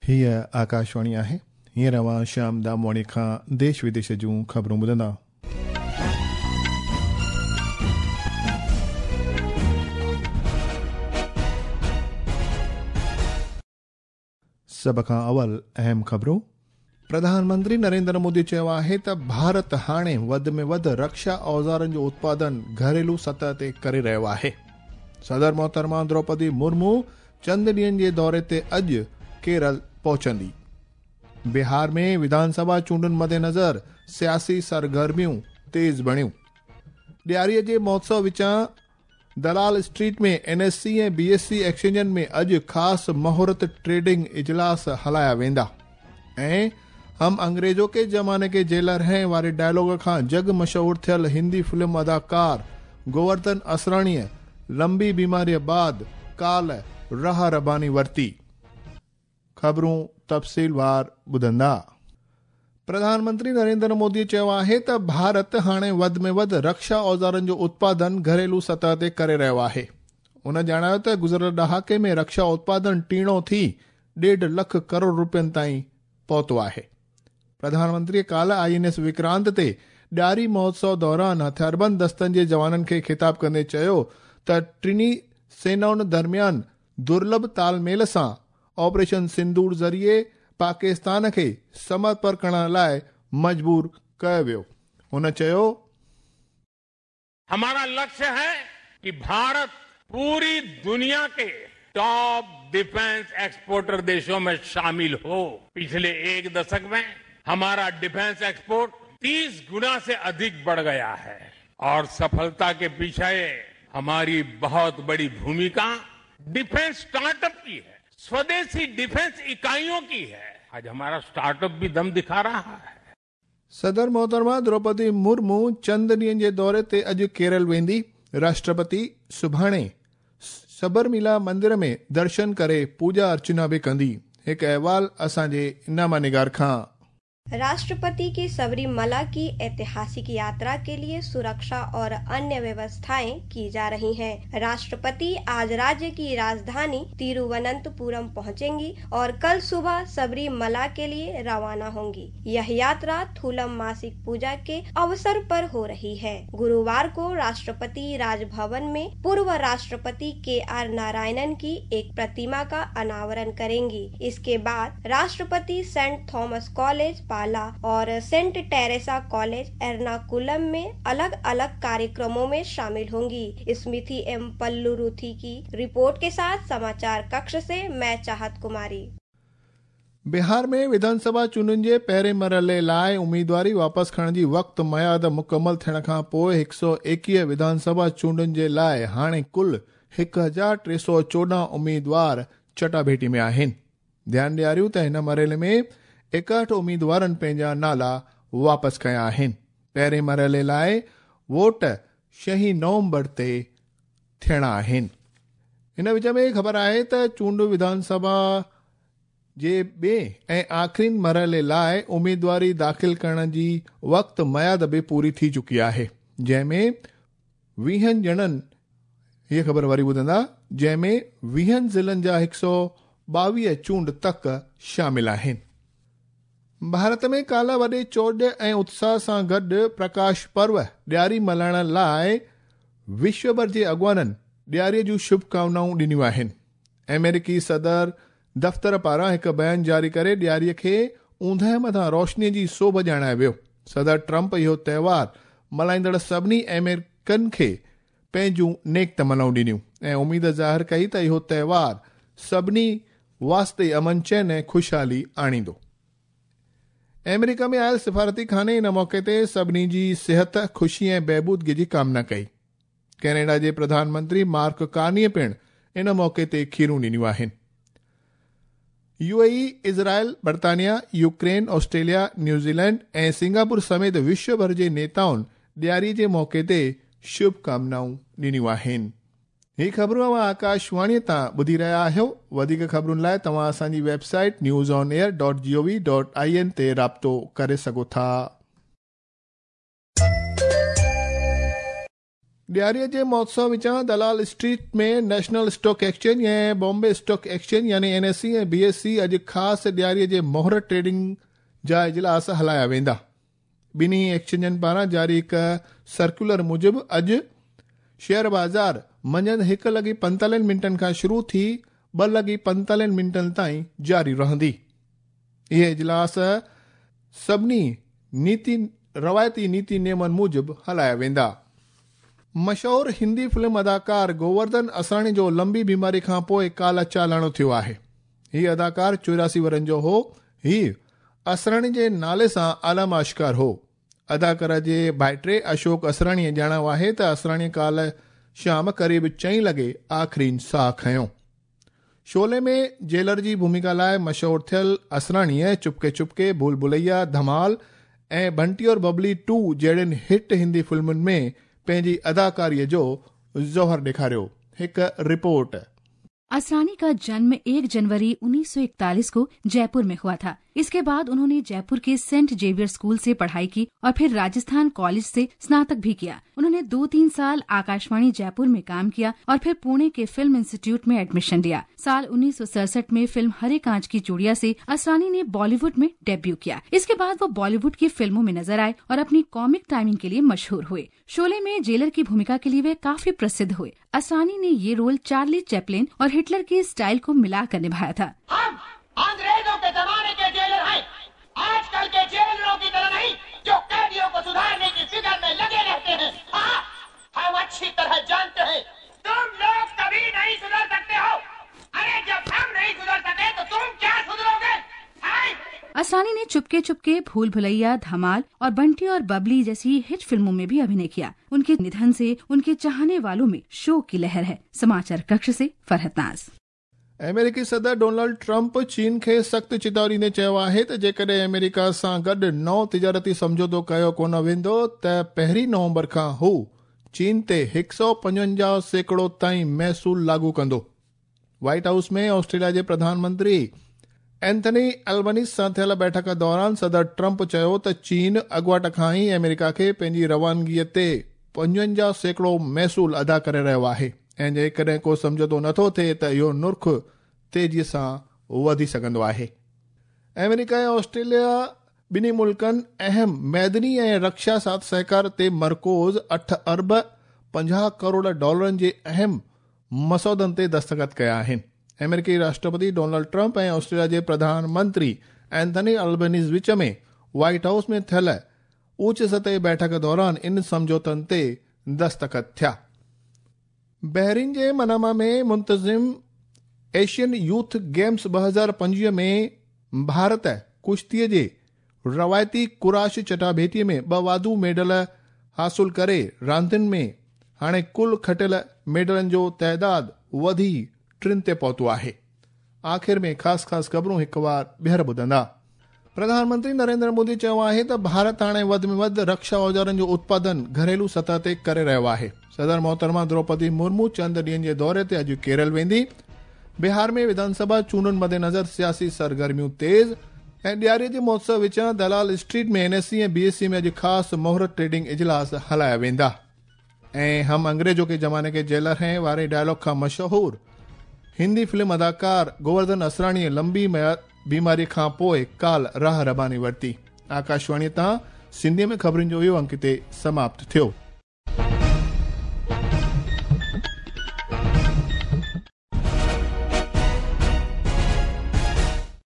هيء آڪاشواڻي آهي. هينئر اوهان شيام دامواڻي کان ديش وديش جون خبرون ٻڌندا. سڀ کان اول اهم خبرون. پرڌان منتري نريندر مودي چيو آهي ته ڀارت هاڻي وڌ ۾ وڌ رڪشا اوزارن جو اتپادن گهريلو سطح تي ڪري رهيو آهي. صدر محترمه دروپدي مرمو چند ڏينهن جي دوري تي اڄ ڪيرل پهچندي. بهار ۾ وڌان سڀا چونڊن مدنظر سياسي سرگرميون تيز بڻيون. ڏياريء جي مهوتسو وچان Dalal street ۾ N S C ۽ B S C ايڪسچينجن ۾ اڄ خاص مهورت ٽريڊنگ اجلاس هلايا ويندا ۽ هم انگريزو ڪي زماني ڪي جيلر هين واري ڊائلاگ کان جڳ مشهور ٿيل هندي فلم اداڪار گوورڌن اسراڻيء لمبي بيماريء بعد ڪالهه راهه رباني ورتي. خبرون تفصيلوار ٻڌندا. پرڌان منتري نريندر مودي چيو آهي ته ڀارت هاڻي وڌ ۾ وڌ رڪشا اوزارن جو اتپادن گهريلو سطح تي ڪري رهيو آهي. هن ڄاڻايو ته گذريل ڏهاڪي ۾ رڪشا اتپادن ٽيڻو ٿي ڏيڍ لک ڪروڙ روپين تائين پهتو آهي. پرڌان منتري ڪالهه I N S Vikrant تي ڏياري مهوتسو دوران هٿياربند دستن جي جوانن کي خطاب ڪندي چيو ته ٽنهي سينائن درميان درلڀ تال ميل سان آپريشن سندور ذريعي پاڪستان کي سمرپڻ ڪرڻ لاء مجبور ڪيو ويو. هن چيو. همارا لڪشيه هي ڪي ڀارت پوري دنيا ڪي ٽاپ ڊفينس ايڪسپورٽر ديشون مين شامل هو. پڇلي ايڪ دشڪ مين همارا ڊفينس ايڪسپورٽ 30 گنا سي اڌڪ بڙه گيا هي اور سڦلتا ڪي پيڇي هماري بهت بڙي ڀوميڪا ڊفينس اسٽارٽ اپ ڪي هي، سوديشي ڊفينس اڪائيون ڪي هي. آج همارا اسٽارٽ اپ ڀي دم دکا رها هي. صدر محترمه دروپدي مرمو چند ڏينهن جي دوري تي اڄ ڪيرل ويندي. راشٽرپتي سڀاڻي سبرميلا مندر ۾ درشن ڪري پوڄا ارچنا به ڪندي. هڪ احوال اسان جي نامه نگار کان. राष्ट्रपति की सबरीमला की ऐतिहासिक यात्रा के लिए सुरक्षा और अन्य व्यवस्थाएं की जा रही हैं। राष्ट्रपति आज राज्य की राजधानी तिरुवनंतपुरम पहुंचेंगी और कल सुबह सबरीमला के लिए रवाना होंगी। यह यात्रा थुलम मासिक पूजा के अवसर पर हो रही है। गुरुवार को राष्ट्रपति राजभवन में पूर्व राष्ट्रपति के are Narayanan की एक प्रतिमा का अनावरण करेंगी। इसके बाद राष्ट्रपति सेंट थॉमस कॉलेज पाला और सेंट टेरेसा कॉलेज एर्नाकुलम में अलग अलग कार्यक्रमों में शामिल होंगी। स्मृति एम पल्लुरुथी की रिपोर्ट के साथ समाचार कक्ष से मैं चाहत कुमारी। बिहार में विधानसभा चूंडुनि जे पहिरें मरहले लाइ उम्मीदवारी वापसि खणण जी वक़्त मयाद मुकमल थियण खां पोइ 121 विधानसभा चूंडुनि जे लाइ हाणे कुल 1314 उम्मीदवार चटाभेटी में आहिनि। ध्यानु ॾियारियूं त हिन मरहले में 61 उम्मीदवारनि पंहिंजा नाला वापसि कया आहिनि। पहिरें मरहले लाइ वोट 6 नवंबर ते थियणा आहिनि। हिन विच में ख़बर आहे त चूंड विधानसभा जे ॿिए ऐं आख़िरीन मरहले लाइ उम्मीदवारी दाख़िल करण जी वक़्त मयाद बि पूरी थी चुकी आहे, जंहिंमें 20 ॼणनि, हीअ ख़बर वरी ॿुधंदा, जंहिंमें 20 ज़िलनि जा 122 चूंड तक शामिल आहिनि। भारत में काल्ह वॾे चोॾ ऐं उत्साह सां गॾु प्रकाश पर्व ॾियारी मल्हाइण लाइ विश्वभर जे अॻुवाननि ॾियारीअ जूं शुभकामनाऊं ॾिनियूं आहिनि। अमेरिकी सदर दफ़्तर पारां हिकु बयान जारी करे ॾियारीअ खे ऊंदह मथां रोशनीअ जी सोभ ॼाणायो वियो। सदर ट्रंप इहो त्योहार मल्हाईंदड़ सभिनी अमेरिकन खे पंहिंजूं नेक तमनाऊं ॾिनियूं ऐं उमेद ज़ाहिर कई त इहो त्योहार सभिनी वास्ते अमन चैन ऐं ख़ुशहाली आणींदो। अमेरिका में आयल सिफारती खाने इन मौक़े ते सभिनी जी सिहत, ख़ुशी ऐं बहबूदगी जी कामना कई। कैनेडा जे प्रधानमंत्री मार्क कार्नीअ पिणु इन मौक़े ते खीरूं ॾिनियूं आहिनि। यूएई, इज़राइल, बर्तानिया, यूक्रेन, ऑस्ट्रेलिया, न्यूज़ीलैंड ऐं सिंगापुर समेत विश्वभर जे नेताउनि ॾियारीअ जे मौक़े ते शुभकामनाऊं ॾिनियूं आहिनि। ही ख़बरूं अव्हां आकाशवाणीअ तां ॿुधी रहिया आहियो। वधीक ख़बरुनि लाइ तव्हां असांजी वेबसाइट newsonair.gov.in ते राब्तो करे सघो था। ڏياريء جي مهوتسو وچان Dalal Street ۾ National Stock Exchange ۽ Bombay Stock Exchange يعني N S E ۽ B S E اڄ خاص ڏياريء جي مهورت ٽريڊنگ جا اجلاس هلايا ويندا. ٻنهي ايڪسچينجن پاران جاري هڪ سرڪيولر موجب اڄ شيئر بازار منجهند هڪ لڳي پنتاليهن منٽن کان شروع ٿي ٻه لڳي پنتاليهن منٽن تائين جاري رهندي. اهي اجلاس سڀني نيتي روايتي نيتي نيمن موجب هلايا ويندا. مشهور هندي فلم اداڪار گوورڌن اسراڻي جو لمبي بيماري کان پوء ڪالهه چالاڻو ٿيو آهي. هي اداڪار 84 ورهين جو هو. هي اسراڻي جي نالي سان عالم آشڪار هو. اداڪار جي ڀائٽي اشوڪ اسراڻيء ڄاڻايو آهي ته اسراڻي ڪالهه شام قريب چئين لڳي آخرين ساهه کنيو. شعلي ۾ جيلر جي ڀوميڪا لاء مشهور ٿيل اسراڻيء چپڪي چپڪي، ڀول ڀليا، ڌمال ۽ بنٽي اور ببلي ٽو جهڙين هٽ هندي فلمن ۾ پنهنجي اداڪاريء جو جوهر ڏيکاريو. هڪ رپورٽ. असरानी का जन्म 1 जनवरी 1941 को जयपुर में हुआ था। इसके बाद उन्होंने जयपुर के सेंट जेवियर स्कूल से पढ़ाई की और फिर राजस्थान कॉलेज से स्नातक भी किया। उन्होंने 2-3 साल आकाशवाणी जयपुर में काम किया और फिर पुणे के फिल्म इंस्टीट्यूट में एडमिशन लिया। साल 1967 में फिल्म हरे कांच की चूड़िया से असरानी ने बॉलीवुड में डेब्यू किया। इसके बाद वो बॉलीवुड की फिल्मों में नजर आए और अपनी कॉमिक टाइमिंग के लिए मशहूर हुए। शोले में जेलर की भूमिका के लिए वे काफी प्रसिद्ध हुए। असरानी ने ये रोल चार्ली चैपलिन और हिटलर के स्टाइल को मिलाकर निभाया था। हम अंग्रेजों के जमाने के जेलर हैं, आजकल के जेलरों की तरह नहीं जो कैदियों को सुधारने की फिक्र में लगे रहते हैं। हाँ, हम अच्छी तरह जानते हैं तुम लोग कभी नहीं सुधर सकते हो। अरे जब हम नहीं सुधर सके तो तुम क्या सुधरोगे? असरानी ने चुपके चुपके, भूल भुलैया, धमाल और बंटी और बबली जैसी हिट फिल्मों में भी अभिनय किया। उनके निधन से उनके चाहने वालों में शोक की लहर है। समाचार कक्ष से फरहत नाज। अमेरिकी सदर डोनाल्ड ट्रंप चीन खे सख़्त चेतावनी ॾींदे चयो आहे त जेकॾहिं अमेरिका सां गॾु नओं तिजारती सम्झौतो कयो कोन वेंदो त 1 नवंबर खां हू चीन ते 155% ताईं महसूल लागू कंदो। व्हाइट हाउस में ऑस्ट्रेलिया जे प्रधानमंत्री एंथनी अल्बनीस सां थियल बैठक दौरान सदर ट्रंप चयो त चीन अॻुवाट खां ई अमेरिका खे पंहिंजी रवानगीअ ते 55% महसूल अदा करे रहियो आहे ऐं जेकॾहिं को सम्झौतो नथो थिए त इहो नुर्ख़ तेज़ीअ सां वधी सघंदो आहे। अमेरिका ऐं ऑस्ट्रेलिया ॿिन्ही मुल्कनि अहम मैदनी ऐं रक्षा साथ सहकार ते मरकूज़ 8 अरब 50 करोड़ डॉलरनि जे अहम मसौदनि ते दस्तख़त कया आहिनि। अमेरिकी राष्ट्रपति डोनाल्ड ट्रंप ऐं ऑस्ट्रेलिया जे प्रधानमंत्री एंथनी अल्बनीज़ विच में व्हाइट हाउस में थियल ऊच सतह बैठक दौरान इन सम्झौतनि ते दस्तख़त थिया। बहरीन जे मनामा में मुंतज़िम एशियन यूथ गेम्स 2025 में भारत कुश्तीअ जे रवायती कुराश चटाभेटीअ में 2 वाधू मेडल हासिल करे रांदियुनि में हाणे कुल खटियल मेडलनि जो तादाद वधी 3 ते पहुतो आहे। आख़िर में ख़ासि ख़ासि ख़बरूं हिकु वार ॿीहर ॿुधंदा। प्रधानमंत्री नरेंद्र मोदी चयो आहे त भारत हाणे वधि में वधि रक्षा औज़ारनि जो उत्पादन घरेलू सतह ते करे रहियो आहे। सदर मोहतरमा द्रौपदी मुर्मू चंद ॾींहनि जे दौरे ते अॼु केरल वेंदी। बिहार में विधानसभा चूंडुनि मद्देनज़र सियासी सरगर्मियूं तेज़ ऐं ॾियारीअ जे महोत्सव विचां दलाल स्ट्रीट में एनएससी ऐं बीएससी में अॼु ख़ासि मुहूर्त ट्रेडिंग इजलास हलाया वेंदा। ऐं हम अंग्रेज़ों के ज़माने के जेलर हैं वारे डायलॉग खां मशहूर हिंदी फिल्म अदाकार गोवर्धन असराणीअ लंबी बीमारी खां पोइ काल्ह राह रबानी वरिती। आकाशवाणी तां सिंधीअ में ख़बरुनि जो इहो अंक हिते समाप्त थियो।